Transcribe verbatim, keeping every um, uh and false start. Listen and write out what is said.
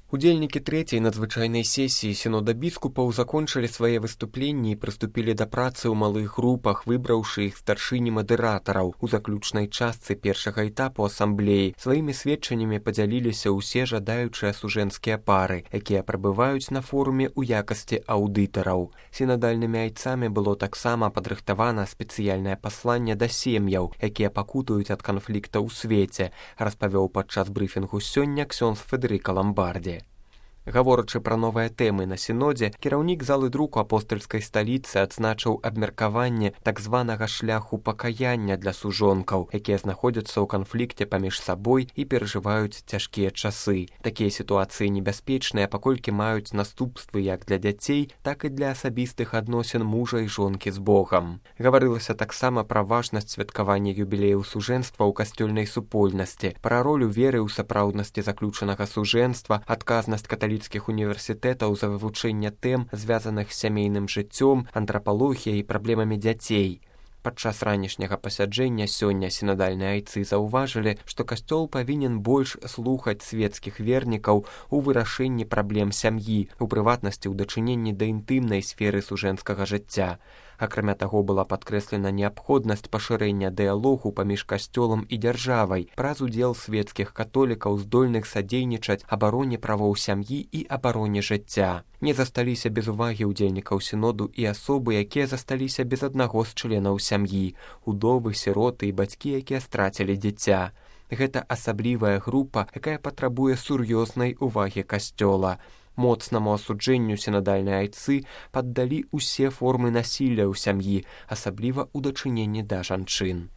Удзельнікі трэцяй надзвычайнай сесіі сінода біскупаў закончылі свае выступленні і прыступілі да працы ў малых групах, выбраўшы іх старшыні мадыратараў. У заключнай частцы першага этапу асамблеі сваімі сведчаннямі падзяліліся ўсе жадаючыя сужэнскія пары, якія прабываюць на форуме ў якасці аўдытараў. Сінадальнымі айцамі было таксама падрыхтавана спецыяльнае пасланне да сем'яў, якія пакутуюць ад канфлікта ў свеце, распавёў падчас брыфінгу сёння ксёндз Федэрыка Ламбарді. Гаворачы пра новыя тэмы на сінодзе, кіраўнік залы друку апостальскай сталіцы адзначыў абмеркаванне так званага шляху пакаяння для сужонкаў, якія знаходзяцца ў канфлікце паміж сабой і перажываюць цяжкія часы. Такія сітуацыі небяспечныя, паколькі маюць наступствы як для дзяцей, так і для асабістых адносін мужа і жонкі з Богам. Гаварылася таксама пра важнасць святкавання юбілеяў сужэнства ў касцёльнай супольнасці, пра ролю веры ў сапраўднасці заключанага сужэнства, адказнасць каталіцкіх універсітэтаў за вывучэнне тэм, звязаных з сямейным жыццём, антрапалогіяй і праблемамі дзяцей. Падчас ранішняга пасяджэння сёння сінадальныя айцы заўважылі, што касцёл павінен больш слухаць свецкіх вернікаў у вырашэнні праблем сям'і, у прыватнасці ў дачыненні да інтымнай сферы сужэнскага жыцця. Акрамя таго, была падкрэслена неабходнасць пашырэння дыялогу паміж касцёлам і дзяржавай праз удзел свецкіх католікаў, здольных садзейнічаць абароне правоў сям'і і абароне жыцця. Не засталіся без увагі ўдзельнікаў сіноду і асобы, якія засталіся без аднаго з членаў сям'і, удовы, сіроты і бацькі, якія страцілі дзіця. Гэта асаблівая група, якая патрабуе сур'ёзнай увагі касцёла. Моцнаму асуджэнню сінадальныя айцы паддалі ўсе формы насілля ў сям'і, асабліва ў дачыненні да жанчын.